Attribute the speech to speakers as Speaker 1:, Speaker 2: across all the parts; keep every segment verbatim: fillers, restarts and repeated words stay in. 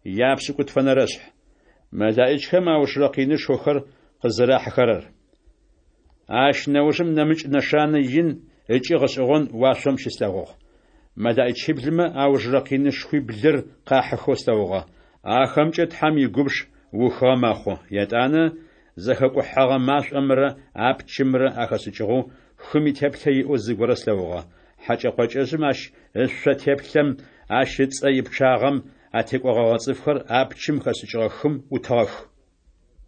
Speaker 1: Япшӏыкӏутфэнэрэ шъхь. Мэлаӏичхэм аужырэ къинышхохэр къызэрахьыхэрэр. Ащ нэужым нэмыкӏ нэшанэ ин ыкӏи гъэшӏэгъон уашъом щыслъэгъугъ. Мэлаӏичиблымэ аужырэ къинышхуиблыр къахьыхэу слъэгъугъэ. Ахэмкӏэ Тхьэм игубж ухыгъэ мэхъу. Етӏанэ зэхэкӏухьэгъэ машӏомрэ апчымрэ ахэшӏыкӏыгъэу, хым итеплъэ иӏэу зыгорэ слъэгъугъэ. Хьэкӏэ-къокӏэжъым ащ ышъо теплъэм, ащ ыцӏэ ипчъагъэм атекӏогъэгъэ цӏыфхэр апчым хэшӏыкӏыгъэ хым ӏутыгъэх.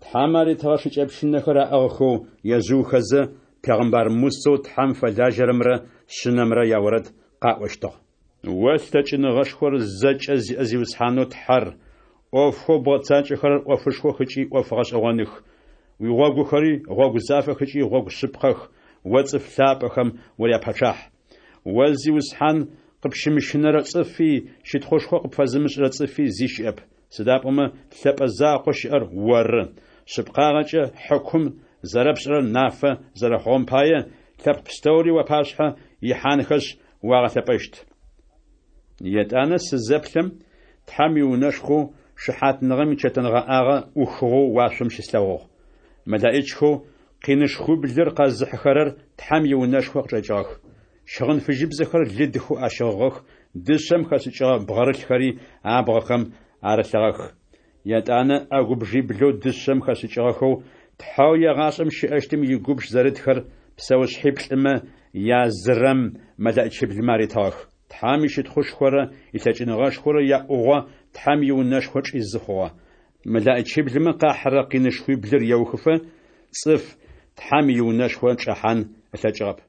Speaker 1: Тхьэм аритыгъэ шыкӏэпщынэхэр аӏыгъхэу ежъыухэзэ, пегъымбар Мусэу Тхьэм фэлажьэрэмрэ Шъынэмрэ яорэд къаӏощтыгъ. О лъэкӏыныгъэшхор зэкӏэ зиӏэ Зиусхьанэу Тхьэр, ӏофхэу бгъэцакӏэхэрэр ӏофышхох ыкӏи ӏоф гъэшӏэгъоных. Уигъогухэри гъогу зафэх ыкӏи гъогу шъыпкъэх, О цӏыф лъапӏэхэм уряпэчъахь. О Зиусхьан, къыпщымыщынэрэ цӏыфи, щытхъушхо къыпфэзымышӏырэ цӏыфи зи щыӏэп. Сыда пӏомэ лъэпӏэ закъоу щыӏэр Оры, шъыпкъагъэкӏэ хьыкум зэрэпшӏырэр нафэ зэрэхъугъэм пае, лъэпкъ пстэури уапашъхьэ ихьанхэшъ, уагъэлъэпӏэщт. Етӏанэ сызэплъэм, Тхьэм иунэшхоу шыхьатныгъэм ичэтэнгъэӏагъэ ӏухыгъэу уашъом щыслъэгъугъ. Мэлэӏичхэу къинышхуиблыр къэзыхьыхэрэр Тхьэм иунэшхо къычӏэкӏыгъэх. Щыгъын фыжьыбзэхэр лыдхэу ащыгъыгъэх, дышъэм хэшӏыкӏыгъэ бгъэрылъхэри абгъэхэм арылъыгъэх. Етӏанэ ӏэгубжъиблэу дышъэм хэшӏыкӏыгъэхэу, Тхьэу егъашӏэм щыӏэщтым игубж зэрытхэр псэушъхьиплӏымэ язырэм мэлэӏичиблымэ аритыгъэх. Тхьэм ищытхъушхорэ илъэкӏыныгъэшхорэ яӏугъо Тхьэм иунэшхо чӏизы хъугъэ. Мэлэӏичиблымэ къахьырэ къинышхуиблыр еухыфэ, цӏыф Тхьэм иунэшхо чӏэхьан ылъэкӏыгъэп.